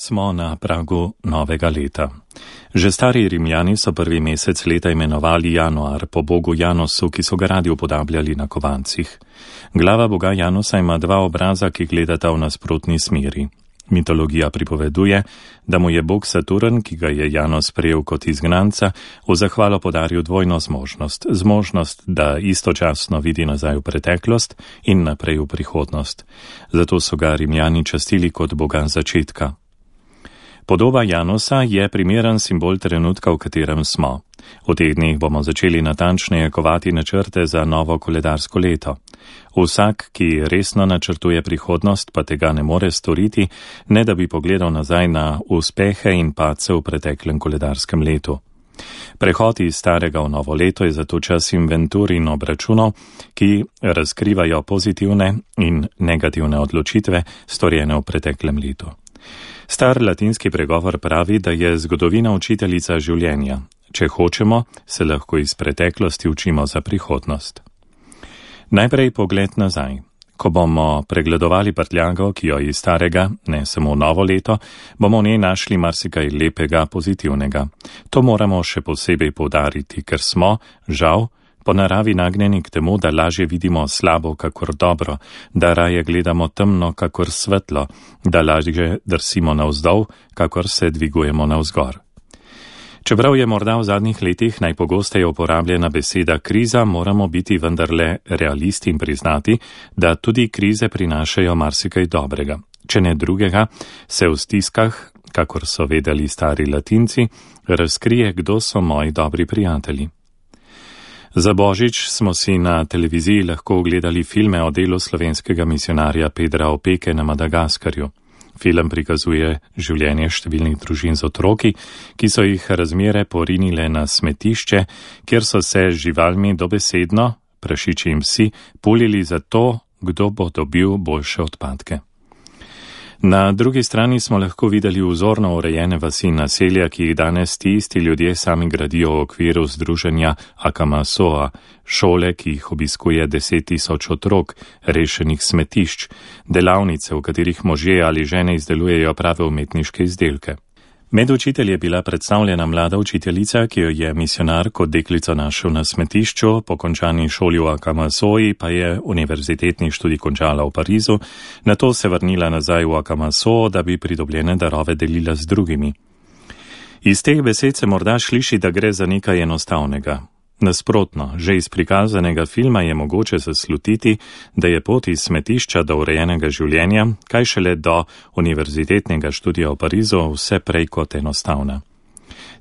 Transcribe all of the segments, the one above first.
Smo na pragu novega leta. Že stari Rimljani so prvi mesec leta imenovali januar po bogu Janosu, ki so ga radi upodabljali na kovancih. Glava boga Janosa ima dva obraza, ki gledata v nasprotni smeri. Mitologija pripoveduje, da mu je bog Saturn, ki ga je Janos prejel kot izgnanca, v zahvalo podaril dvojno zmožnost, da istočasno vidi nazaj v preteklost in naprej v prihodnost. Zato so ga Rimljani častili kot boga začetka. Podoba Janosa je primeren simbol trenutka, v katerem smo. V teh dneh bomo začeli natančneje kovati načrte za novo koledarsko leto. Vsak, ki resno načrtuje prihodnost, pa tega ne more storiti, ne da bi pogledal nazaj na uspehe in padce v preteklem koledarskem letu. Prehod iz starega v novo leto je zato čas inventur in obračunov, ki razkrivajo pozitivne in negativne odločitve, storjene v preteklem letu. Star latinski pregovor pravi, da je zgodovina učiteljica življenja. Če hočemo, se lahko iz preteklosti učimo za prihodnost. Najprej pogled nazaj. Ko bomo pregledovali prtljago, ki jo iz starega, ne samo novo leto, bomo v njej našli marsikaj lepega, pozitivnega. To moramo še posebej poudariti, ker smo, žal, po naravi nagnjeni k temu, da lažje vidimo slabo kakor dobro, da raje gledamo temno kakor svetlo, da lažje drsimo navzdol, kakor se dvigujemo navzgor. Čeprav je morda v zadnjih letih najpogosteje uporabljena beseda kriza, moramo biti vendarle realisti in priznati, da tudi krize prinašajo marsikaj dobrega. Če ne drugega, se v stiskah, kakor so vedeli stari Latinci, razkrije, kdo so moji dobri prijatelji. Za Božič smo si na televiziji lahko ogledali filme o delu slovenskega misionarja Pedra Opeke na Madagaskarju. Film prikazuje življenje številnih družin z otroki, ki so jih razmere porinile na smetišče, kjer so se z živalmi dobesedno, prašiči in psi, pulili za to, kdo bo dobil boljše odpadke. Na drugi strani smo lahko videli vzorno urejene vasi in naselja, ki jih danes ti isti ljudje sami gradijo v okviru združenja Akamasoa, šole, ki jih obiskuje 10 000 otrok, rešenih smetišč, delavnice, v katerih možje ali žene izdelujejo prave umetniške izdelke. Med učitelji je bila predstavljena mlada učiteljica, ki jo je misionar kot deklico našel na smetišču, po končani šoli v Akamasoji pa je univerzitetni študij končala v Parizu, nato se vrnila nazaj v Akamaso, da bi pridobljene darove delila z drugimi. Iz teh besed se morda sliši, da gre za nekaj enostavnega. Nasprotno, že iz prikazanega filma je mogoče zaslutiti, da je pot iz smetišča do urejenega življenja, kaj šele do univerzitetnega študija v Parizu, vse prej kot enostavna.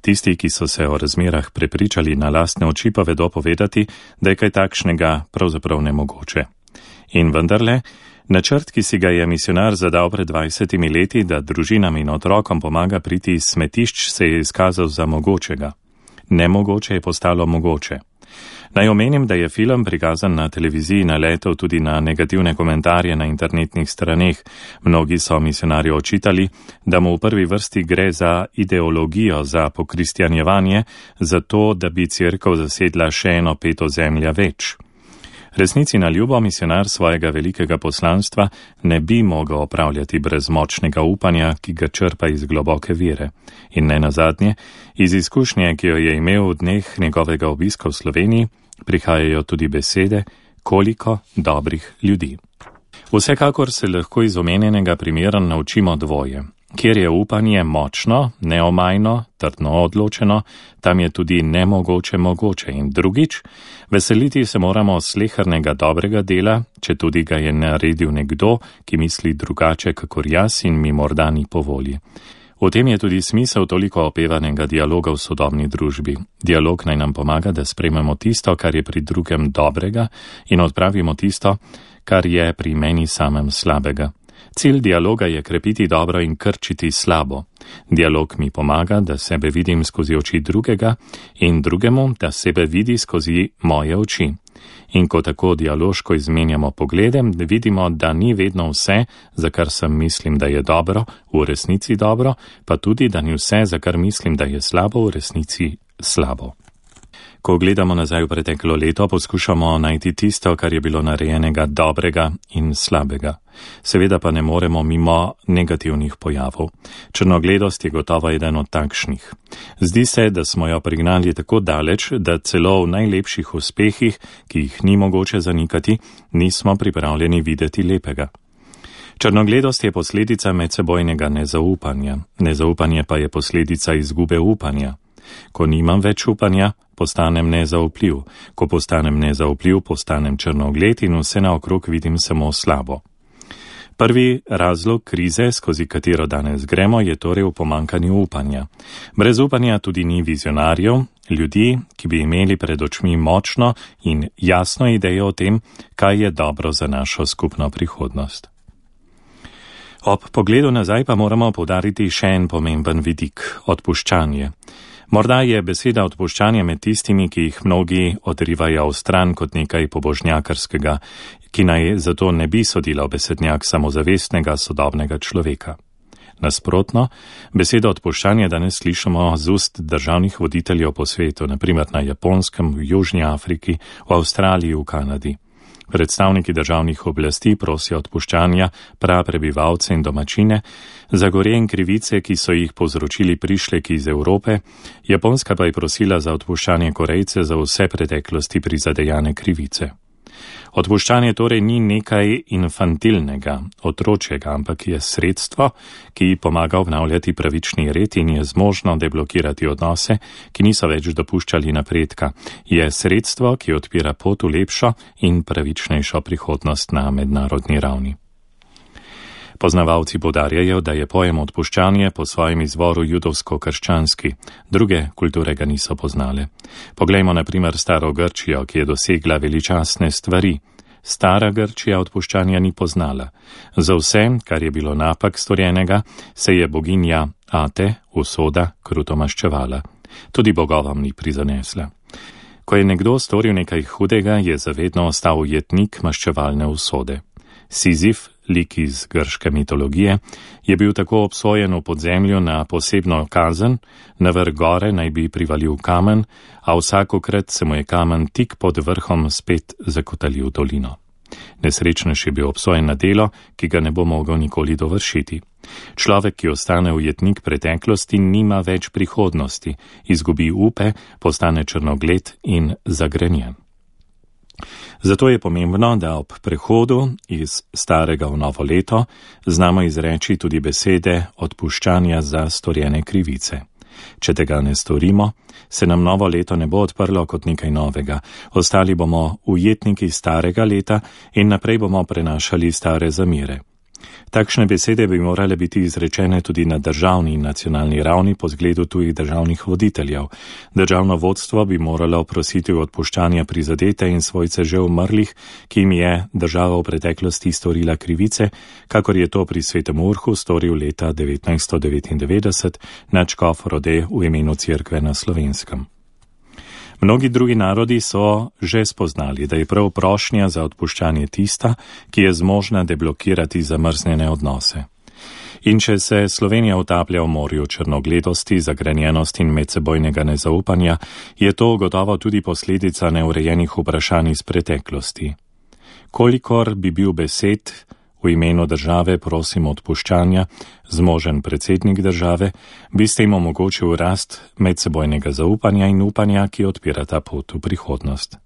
Tisti, ki so se o razmerah prepričali na lastne oči, pa vedo povedati, da je kaj takšnega pravzaprav nemogoče. In vendarle, načrt, ki si ga je misionar zadal pred 20 leti, da družinam in otrokom pomaga priti iz smetišč, se je izkazal za mogočega. Nemogoče je postalo mogoče. Naj omenim, da je film prikazan na televiziji naletel tudi na negativne komentarje na internetnih straneh. Mnogi so misionarju očitali, da mu v prvi vrsti gre za ideologijo, za pokristjanjevanje, za to, da bi cerkev zasedla še eno peto zemlja več. Resnici na ljubo misionar svojega velikega poslanstva ne bi mogel opravljati brez močnega upanja, ki ga črpa iz globoke vere. In ne nazadnje, iz izkušnje, ki jo je imel v dneh njegovega obiska v Sloveniji, prihajajo tudi besede, koliko dobrih ljudi. Vsekakor se lahko iz omenjenega primera naučimo dvoje. Kjer je upanje močno, neomajno, trdno odločeno, tam je tudi nemogoče mogoče. In drugič, veseliti se moramo slehernega dobrega dela, če tudi ga je naredil nekdo, ki misli drugače kakor jaz in mi morda ni po volji. V tem je tudi smisel toliko opevanega dialoga v sodobni družbi. Dialog naj nam pomaga, da sprejmemo tisto, kar je pri drugem dobrega, in odpravimo tisto, kar je pri meni samem slabega. Cilj dialoga je krepiti dobro in krčiti slabo. Dialog mi pomaga, da sebe vidim skozi oči drugega in drugemu, da sebe vidi skozi moje oči. In ko tako dialoško izmenjamo poglede, vidimo, da ni vedno vse, za kar sem mislim, da je dobro, v resnici dobro, pa tudi, da ni vse, za kar mislim, da je slabo, v resnici slabo. Ko gledamo nazaj v preteklo leto, poskušamo najti tisto, kar je bilo narejenega dobrega in slabega. Seveda pa ne moremo mimo negativnih pojavov. Črnogledost je gotovo eden od takšnih. Zdi se, da smo jo prignali tako daleč, da celo v najlepših uspehih, ki jih ni mogoče zanikati, nismo pripravljeni videti lepega. Črnogledost je posledica medsebojnega nezaupanja. Nezaupanje pa je posledica izgube upanja. Ko nimam več upanja, postanem nezaupljiv. Ko postanem nezaupljiv, postanem črnogled in vse naokrog vidim samo slabo. Prvi razlog krize, skozi katero danes gremo, je torej v pomankanju upanja. Brez upanja tudi ni vizionarjev, ljudi, ki bi imeli pred očmi močno in jasno idejo o tem, kaj je dobro za našo skupno prihodnost. Ob pogledu nazaj pa moramo poudariti še en pomemben vidik – odpuščanje. Morda je beseda odpuščanje med tistimi, ki jih mnogi odrivajo v stran kot nekaj pobožnjakarskega, ki naj zato ne bi sodila v besednjak samozavestnega sodobnega človeka. Nasprotno, besedo odpuščanje danes slišimo z ust državnih voditeljev po svetu, naprimer na Japonskem, v Južni Afriki, v Avstraliji, v Kanadi. Predstavniki državnih oblasti prosijo odpuščanja praprebivalce in domačine za gorje in krivice, ki so jih povzročili prišleki iz Evrope, Japonska pa je prosila za odpuščanje Korejce za vse preteklosti prizadejane krivice. Odpuščanje torej ni nekaj infantilnega, otročjega, ampak je sredstvo, ki pomaga obnavljati pravični red in je zmožno deblokirati odnose, ki niso več dopuščali napredka. Je sredstvo, ki odpira pot v lepšo in pravičnejšo prihodnost na mednarodni ravni. Poznavalci poudarjajo, da je pojem odpuščanje po svojem izvoru judovsko-krščanski, druge kulture ga niso poznale. Poglejmo na primer staro Grčijo, ki je dosegla veličastne stvari. Stara Grčija odpuščanja ni poznala. Za vse, kar je bilo napak storjenega, se je boginja Ate, usoda, kruto maščevala. Tudi bogovom ni prizanesla. Ko je nekdo storil nekaj hudega, je zavedno ostal ujetnik maščevalne usode. Sizif, lik iz grške mitologije, je bil tako obsojen v podzemlju na posebno kazen, na vrh gore naj bi privalil kamen, a vsakokrat se mu je kamen tik pod vrhom spet zakotalil dolino. Nesrečnež je bil obsojen na delo, ki ga ne bo mogel nikoli dovršiti. Človek, ki ostane ujetnik preteklosti, nima več prihodnosti, izgubi upe, postane črnogled in zagrenjen. Zato je pomembno, da ob prehodu iz starega v novo leto znamo izreči tudi besede odpuščanja za storjene krivice. Če tega ne storimo, se nam novo leto ne bo odprlo kot nekaj novega. Ostali bomo ujetniki starega leta in naprej bomo prenašali stare zamere. Takšne besede bi morale biti izrečene tudi na državni in nacionalni ravni po zgledu tujih državnih voditeljev. Državno vodstvo bi moralo prositi odpuščanja prizadete in svojce že umrlih, ki jim je država v preteklosti storila krivice, kakor je to pri Svetem Urhu storil leta 1999 nadškof Rode v imenu Cerkve na Slovenskem. Mnogi drugi narodi so že spoznali, da je prav prošnja za odpuščanje tista, ki je zmožna deblokirati zamrznjene odnose. In če se Slovenija utaplja v morju črnogledosti, zagrenjenosti in medsebojnega nezaupanja, je to gotovo tudi posledica neurejenih vprašanj iz preteklosti. Kolikor bi bil besed v imenu države prosim odpuščanja, zmožen predsednik države, bi s tem omogočil rast medsebojnega zaupanja in upanja, ki odpira ta pot v prihodnost.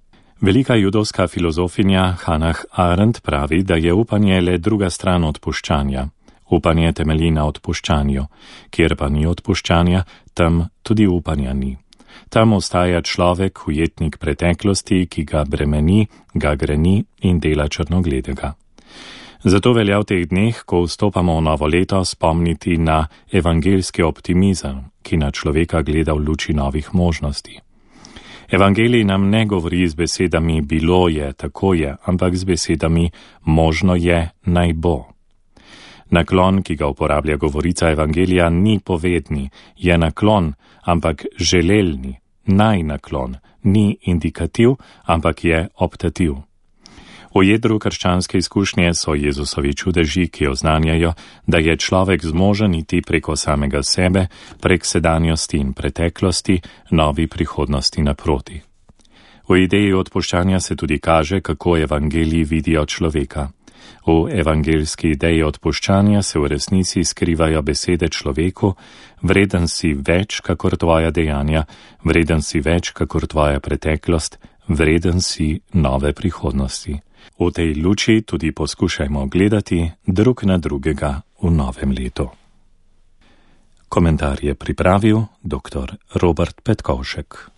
Velika judovska filozofinja Hannah Arendt pravi, da je upanje le druga stran odpuščanja. Upanje temelji na odpuščanju. Kjer pa ni odpuščanja, tam tudi upanja ni. Tam ostaja človek, ujetnik preteklosti, ki ga bremeni, ga greni in dela črnogledega. Zato velja v teh dneh, ko vstopamo v novo leto, spomniti na evangeljski optimizem, ki na človeka gleda v luči novih možnosti. Evangelij nam ne govori z besedami bilo je, tako je, ampak z besedami možno je, naj bo. Naklon, ki ga uporablja govorica evangelija, ni povedni, je naklon, ampak želelni, naj naklon, ni indikativ, ampak je optativ. V jedru krščanske izkušnje so Jezusovi čudeži, ki oznanjajo, da je človek zmožen iti preko samega sebe, prek sedanjosti in preteklosti, novi prihodnosti naproti. V ideji odpuščanja se tudi kaže, kako evangeliji vidijo človeka. V evangeljski ideji odpuščanja se v resnici skrivajo besede človeku: vreden si več, kakor tvoja dejanja, vreden si več, kakor tvoja preteklost, vreden si nove prihodnosti. V tej luči tudi poskušajmo gledati drug na drugega v novem letu. Komentar je pripravil dr. Robert Petkovšek.